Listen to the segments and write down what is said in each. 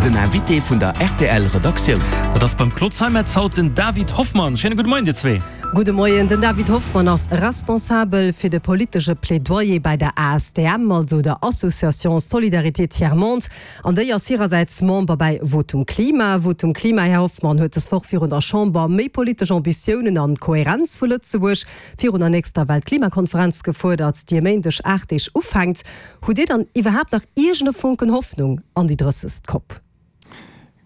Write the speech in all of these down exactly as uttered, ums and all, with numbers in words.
Den Invité vun der R T L Redaktioun. Dat ass beim Claude Zeimetz haut den David Hoffmann. Schéine gudde Moien dir zwee. Gudde Moien. Den David Hoffmann ass responsabel fir de politesche Plädoyer bei der A S T M, also der Association Solidarité Tiers Monde. An déi ass hirersäits Member bei Votum Klima. Votum Klima, Här Hoffmann, huet dës Woch virun der Chamber méi politesch Ambitiounen an Kohärenz vu Lëtzebuerg virun der nächster Weltklimakonferenz gefuerdert, déi e Méindeg aacht Deeg ufänkt. Hutt Dir dann iwwerhaapt nach iergend e Fonken Hoffnung an déi drëssegst COP?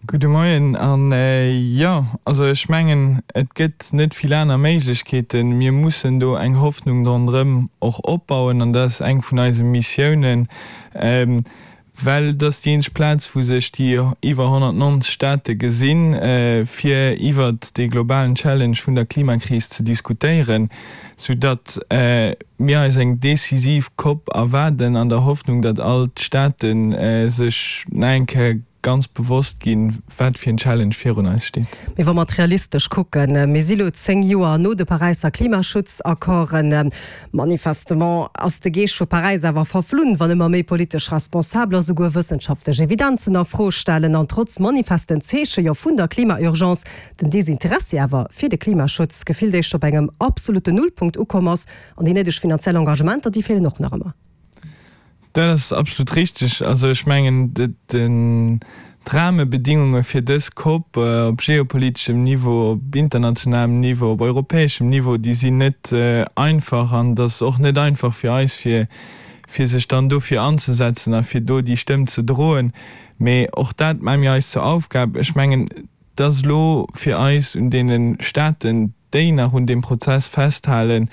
Gudde Moien an äh, jo, also ech mengen, et gëtt net vill aner Méiglechkeeten. Mir mussen do eng Hoffnung ronderëm och opbauen an dat ass eng vun eise Missiounen. Ähm, well dat ass déi eenzeg Plaz, wou sech déi iwwer honnertneunzeg Staate gesinn, äh, fir iwwer de globalen Challenge vun der Klimakris ze diskutéieren, soudatt äh, mir eis eng decisiv COP erwaarden an der Hoffnung, datt all d'Staaten äh, sech nach eng Kéier ganz bewosst ginn, wat fir en Challenge virun eis steet. Mee wa mer realistesch kucken, mir si lo zéng Joer no de Paräisser Klimaschutzaccorden. Manifestement ass de Geescht vu Paräis awer verflunn, wann ëmmer méi politesch Responsabeler souguer wëssenschaftlech Evidenzen a Fro stellen an trotz manifesten Zeeche jo vun der Klimaurgence den Desinteressi awer fir de Klimaschutz gefillt éischter op engem absoluten Nullpunkt ukomm ass an déi néideg finanziell Engagementer, déi feelen och nach ëmmer. Dat ass absolut richteg. Also ech mengen, den d'Rahmebedingunge fir dës COP äh, op geopoliteschem Niveau, op internationalem Niveau, op europäeschem Niveau, déi sinn net äh, einfach an dat ass och net einfach fir eis fir fir sech dann dofir anzesetzen a fir do déi Stëmm ze droen. Mee och dat maache mir eis zur Aufgab. Ech mengen, dat ass lo fir eis un deene Staaten, déi nach un deem Prozess festhalen,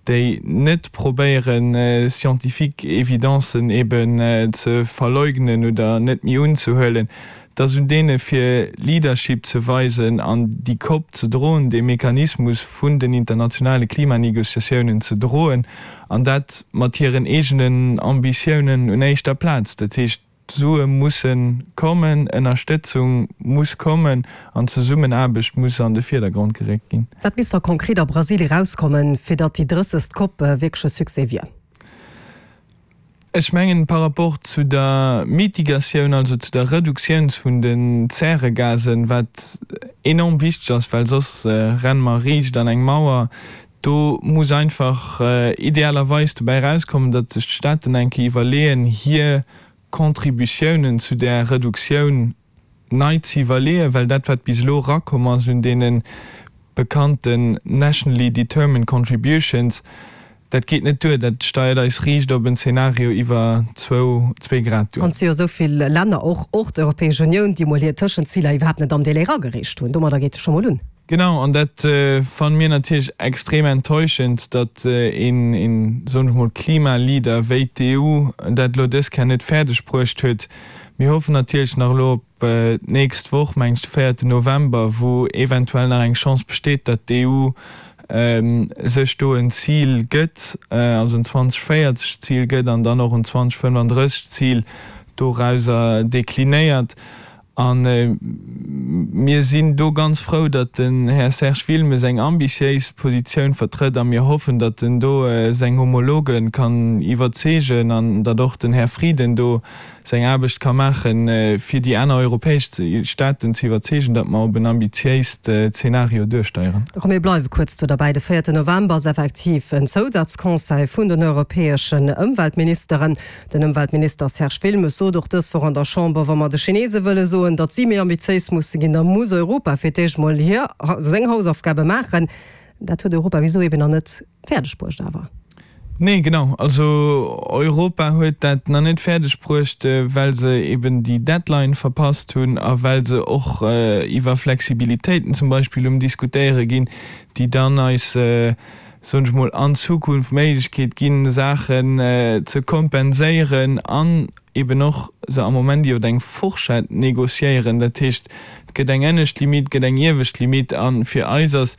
déi net probéieren äh, scientifique Evidencen eben äh, ze verleugnen oder net méi unzehuelen, dat ass un deene fir Leadership ze weisen an déi COP ze droen, de Mechanismus vun den internationale Klimanegociatiounen ze droen an dat mat hiren eegenen Ambitiounen un éischter Plaz. Dat heescht, d'Sue musse kommen, Ënnerstëtzung muss kommen an Zesummenaarbecht muss an de Virdergrond geréckt ginn. Wat misst da konkret a Brasilien erauskommen, fir datt déi drëssegst COP äh, wierklech e Succès wier? Ech mengen par rapport zu der Mitigatioun, also zu der Reduktioun vun den Zäregasen, wat enorm wichteg ass, well soss äh, renne mer riicht an eng Mauer. Do muss einfach äh, idealerweis dobäi erauskommen, datt sech d'Staaten eng Kéier iwwerleeën, hir Contributiounen zu der Reduktioun nei ze iwwerleeën, well dat wat bis elo erakomm ass un deene bekannten nationally determined contributions, dat geet net duer, dat steiert eis riicht op en Zenario iwwer zwou zwee Grad duer. An et si jo esou vill Länner, och och d'Europäesch Unioun, déi mol hir Tëschenziler iwwerhaapt net am Delai eragereecht hunn. Domadder geet et scho mol un. Genau, an dat äh, fanne mir natierlech extrem enttäuschend, datt äh, een, een soen ech mol Klimaleader wéi d'E U dat lo dës Kéier net fäerdeg bruecht huet. Mir hoffen natierlech nach elo op äh, d'nächst Woch, mengen ech de véierten November, wou eventuell nach eng Chance besteet, datt d'E U ähm, sech do en Zil gëtt, äh, also en zweedausendvéierzeg Zil gëtt an dann och en zweedausendfënnefandrësseg Zil dorauser deklinéiert. An äh, mir sinn do ganz frou, datt den Här Serge Wilmes eng ambitiéis Positioun vertrëtt a mir hoffen, datt en do äh, seng Homologe kann iwwerzeegen an datt och den Här Frieden do seng Aarbecht ka maachen, äh, fir déi aner europäesch Staaten ze iwwerzeegen, datt mer op en ambitiéist äh, Zenario duersteieren. Komm mir bleiwe kuerz do derbäi. De véierten November ass effektiv en Zousazconseil vun den europäeschen Ëmweltministeren. Den Ëmweltminister Serge Wilmes sot och dës Woch an der Chamber, wa mer de Chinese wëlle soen, datt si méi ambitiéis musse ginn, da muss Europa fir d'éischt mol hir seng Hausaufgabe maachen. Dat huet Europa bis elo eben nach net fäerdeg bruecht awer. Nee, genau. Also Europa huet dat nach net fäerdeg bruecht, äh, well se eben déi Deadline verpasst hunn a well se och äh, iwwer Flexibilitéiten zum Beispill um diskutéiere ginn, déi dann eis äh, soen ech mol an Zukunft Méiglechkeet ginn, Saachen äh, ze kompenséieren an eben och se am Moment iwwer eng Fourchette negociéieren. Dat heescht, et gëtt eng ënnescht Limit, gëtt eng iewescht Limit an fir eis ass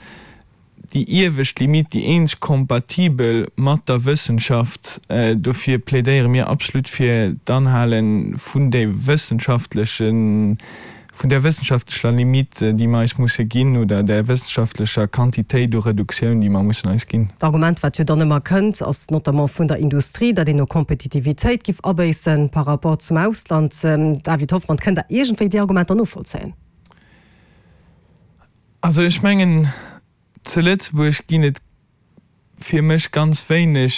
déi iewescht Limit déi eenzeg kompatibel mat der Wëssenschaft. Äh, dofir plädéiere mir absolut fir d'Anhale vun de wëssenschaftlechen vun där wëssenschaftlecher Limite, déi mer eis musse ginn, oder där wëssenschaftlecher Quantitéit u Reduktioun, déi mer mussen eis ginn. D'Argument, wat jo dann ëmmer kënnt, ass notamment vun der Industrie, datt een u Kompetitivitéit giff abéissen par rapport zum Ausland. David Hoffmann, kënnt Der iergendwéi déi Argumenter novollzéien? Also ech mengen, zu Lëtzebuerg ginn et fir mech ganz wéineg,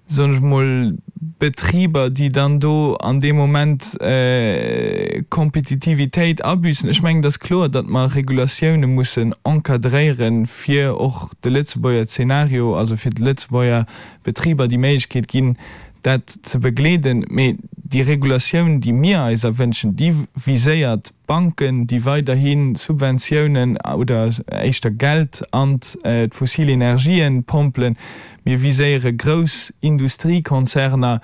soen ech mol, Betriber, déi dann do an deem Moment Kompetitivitéit abüssen. Ech mengen, et ass kloer, datt mer Regulatioune mussen encadréieren, fir och de Lëtzebuerger Zeenario, also fir de Lëtzebuerger Betriber déi Méiglechkeet ginn, dat ze begleeden. Mee déi Regulatioun, déi mir eis erwënschen, déi viséiert d'Banken, déi weiderhi Subventiounen oder éischter Geld an d'fossil Energien pompelen. Mir viséiere grouss Industriekonzerner,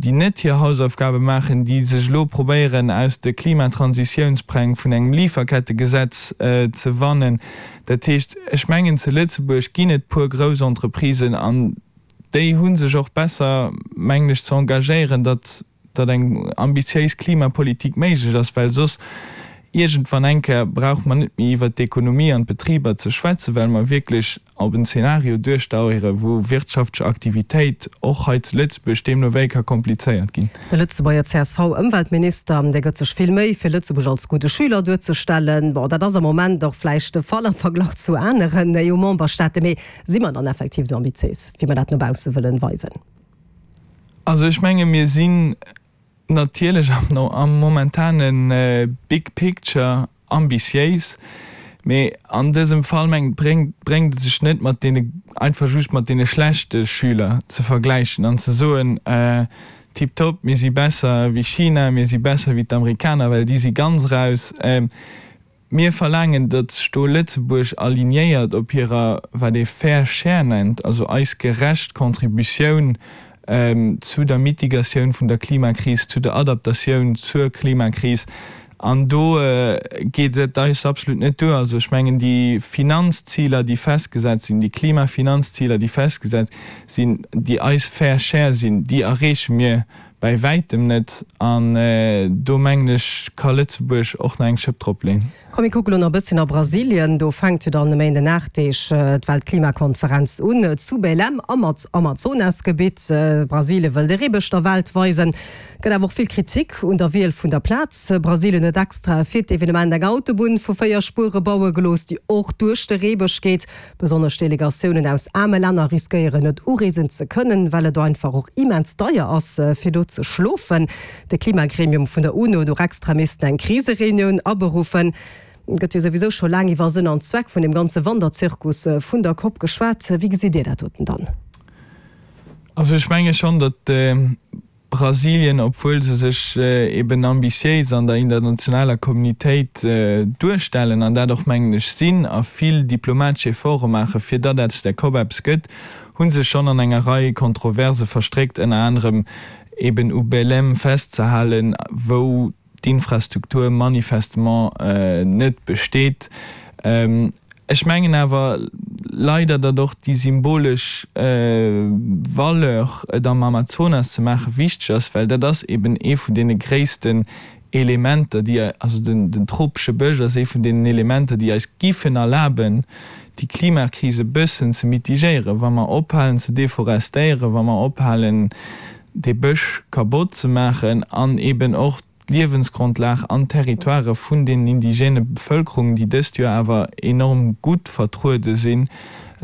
déi net hir Hausaufgabe maachen, déi sech elo probéieren, aus de Klimatransitionspläng vun engem Lieferkettegesetz ze wannen. Dat heescht, ech mengen, zu Lëtzebuerg ginn et puer grouss Entreprisen an déi hu sech och besser, mengen ech, ze engagéieren, datt datt eng ambitiéis Klimapolitik méiglech ass, well soss iergendwann eng Kéier brauche mer net méi iwwert d'Ekonomie an d'Betriber ze schwätzen, well mer wierklech op en Zeenario duersteiere wou wirtschaftlech Aktivitéit och hei zu Lëtzebuerg deemno wéi ka komplizéiert ginn. De Lëtzebuerger C S V-Ëmweltminister, dee gëtt sech vill Méi, fir Lëtzebuerg als gudde Schüler duerzestellen. Bon, dat ass am Moment och vläicht de Fall am Verglach zu aneren E U-Memberstaaten. Mee si mer dann effektiv esou ambitiéis, wéi mer dat no bausse wëllen weisen? Also ech menge mir sinn natierlech am momentane Big Picture ambitiéis, mee an dësem Fall meng bréngt bréngt et sech net mat deene einfach just mat deene schlechte Schüler ze vergläichen an ze soen, tiptop, mir si besser wéi China, mir si besser wéi d'Amerikaner, well déi si ganz raus. Mir verlaangen, datt sech do Lëtzebuerg alignéiert op hirer, wat ee Fair Share nennt, also eis gerecht Contributioun zu der Mitigatioun vun der Klimakris, zu der Adaptatioun zur Klimakris. An do geet et eis absolut net duer. Also ech mengen, déi Finanzziler, déi festgesat sinn, déi Klimafinanzziler, déi festgesat sinn, déi eis Fair Share sinn, déi erreeche mir bäi wäitem net. An do mengen ech, ka Lëtzebuerg och nach eng Schëpp dropleeën. Komm mir kucke lo nach e bësschen a Brasilien. Do fänkt jo dann e Méinden aacht Deeg d'Weltklimakonferenz un, zu Belém am Amazonasgebitt. Brasilien wëll de Reebësch der Welt weisen. Gëtt awer och vill Kritik un der Wiel vun der Plaz. Brasilien huet extra fir d'Evenement eng Autobunn vu véier Spuere baue gelooss, déi och duerch de Reebësch geet. Besonnesch Delegatiounen aus aarme Länner riskéieren net ureesen ze kënnen, well et einfach och immens deier ass, fir do ze schlofen. De Klimagremium vun der UNO huet och extra missten eng Krisereunioun aberuffen. Et gëtt jo souwisou scho laang iwwer Sënn an Zweck vun deem ganze Wanderzirkus vun der COP geschwat. Wéi gesitt Dir dat doten dann? Also ech menge schonn, datt Brasilien, obwuel se sech eben ambitiéis an der internationaler Communitéit duerstellen an dat och, mengen ech, sinn a vill diplomatesch Efforte maachen, fir datt aus där COP eppes gëtt, hu sech schonn an enger Rei Kontroverse verstréckt, ënner anerem eben u Belém festzehalen, wou d'Infrastruktur manifestement net besteet. Ech mengen awer leider, datt och déi symbolesch Valeur, et am Amazonas ze maachen, wichteg ass, well dat ass eben ee vun deene gréissten Elementer, déi, also den tropesche Bësch ass ee vun deenen Elementer, déi eis giffen erlaben, déi Klimakris e bëssen ze mitigéieren, wa mer ophalen ze deforestéieren, wa mer ophalen dee Bësch kabott ze maachen an eben och d'Liewensgrondlag an d'Territoirë vun den indigène Bevëlkerungen, déi dëst Joer awer enorm gutt vertruede sinn,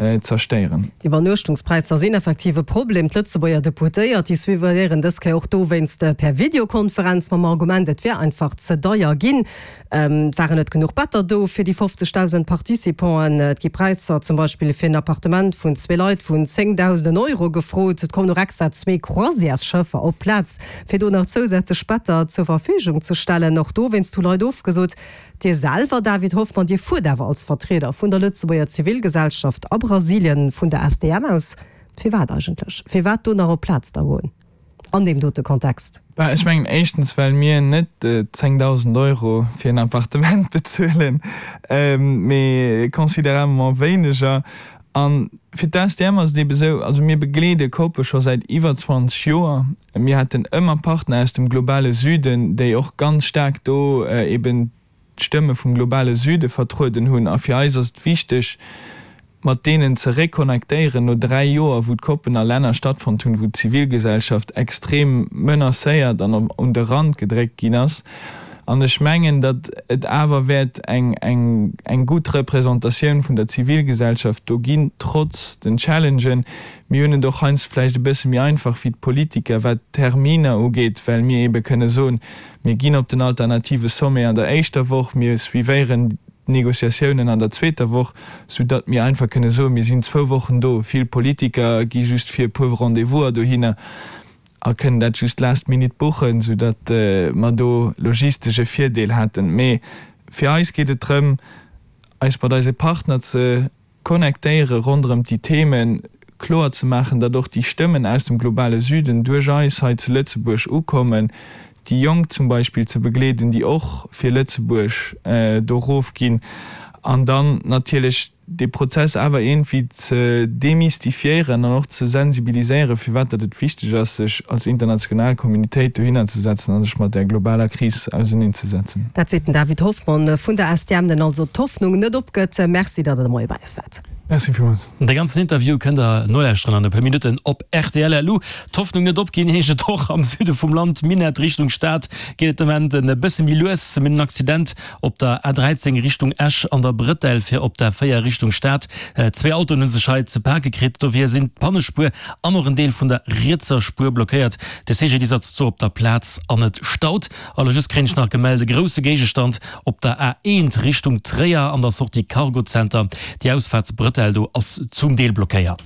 zerstéieren. D'Iwwernuechtungspräisser sinn effektiv e Problem. D'Lëtzebuerger Deputéiert, déi suivéieren dës Kéier och dowéinst per Videokonferenz mam Argument, et wär einfach ze deier ginn. Et waren net genuch Better do fir déi fofzegdausend Participanten. Et gi Präisser zum Beispill fir en Appartement vun zwee Leit vun zéngdausenden Euro gefrot. Et kommen och extra zwee Croisièresschëffer op d'Plaz, fir do nach zousätzlech Better zur Verfügung ze stellen. Och dowéinst hu Leit ofgesot. Dir selwer, David Hoffmann, Dir fuert awer als Vertrieder vun der Lëtzebuerger Zivilgesellschaft a Brasilien vun der S D M aus. Firwat eigentlech? Firwat do nach op d'Plaz da goen an deem dote Kontext? Bah, ech mengen éischtens, well mir net zéngdausend Euro fir en Appartement bezuelen, mee considérablement wéineger. A fir d'ASTM ass et ebe sou, also mir begleede COPe scho säit iwwer zwanzeg Joer. Mir haten ëmmer Partner aus dem globale Süden, déi och ganz staark do eben d'Stëmme vum globale Süde vertrueden hunn. A fir eis ass et wichteg, mat deenen ze reconnectéieren no dräi Joer, wou d'COPen a Länner stattfonnt hunn, wou d'Zivilgesellschaft extrem menacéiert an un de Rand gedréckt ginn ass. An ech mengen, datt et awer wäert eng eng gutt Representatioun vun der Zivilgesellschaft do ginn, trotz den Challengen. Mir hunn et och heiansdo vläicht e bësse méi einfach wéi d'Politiker, wat d'Terminer ugeet, well mir eebe kënne soen, Mir ginn op den alternative Sommet an der éischter Woch, mir suivéieren d'Negociatiounen an der zweeter Woch, soudatt mir einfach kënne soen, mir sinn zwou Wochen do. Vill Politiker gi just fir e puer Rendez-vouser dohinner a kënnen dat just last minute buchen, soudatt mer do logistesch e Virdeel hätten. Mee fir eis geet et drëm, eis mat eise Partner ze connectéiere ronderëm déi Themen, kloer ze maachen, datt och déi Stëmmen aus dem globale Süden duerch eis hei zu Lëtzebuerg ukommen, déi Jonk zum Beispill ze begleeden, déi och fir Lëtzebuerg do erofginn, an dann natierlech dee Prozess awer iergendwéi ze demystifiéieren an och ze sensibiliséieren, firwat datt et wichteg ass, sech als international Communitéit dohinner ze setzen a sech mat där globaler Kris auserneenzesetzen. Dat seet den David Hoffmann vun der S T M, den also d'Hoffnung net opgëtt. Merci, datt Der de Moie bei eis waart. Merci villmools. De ganzen Interview kënnt der nolauschteren an e puer Minutten op rtl. Lu. D'Hoffnung net opginn heescht et och am Süde vum Land. Minett Richtung Stad geet et de Moment e bësse méi lues. Mir hunn en Accident op der A dräizéng Richtung Esch an der Brëtell fir op der véier Richtung Stad. Zwee Autoen hu sech hei ze pake kritt. Dofir sinn d'Pannespuer an och en Deel vun der rietser Spuer blockéiert. De C G D I S ass zwar op der Plaz an et staut. Elo just kréien ech nach gemellt, e grousse Géigestand op der A eent Richtung Tréier an der Sortie Cargo Center. Déi Ausfaartsbrëtell do ass zum Deel blockéiert.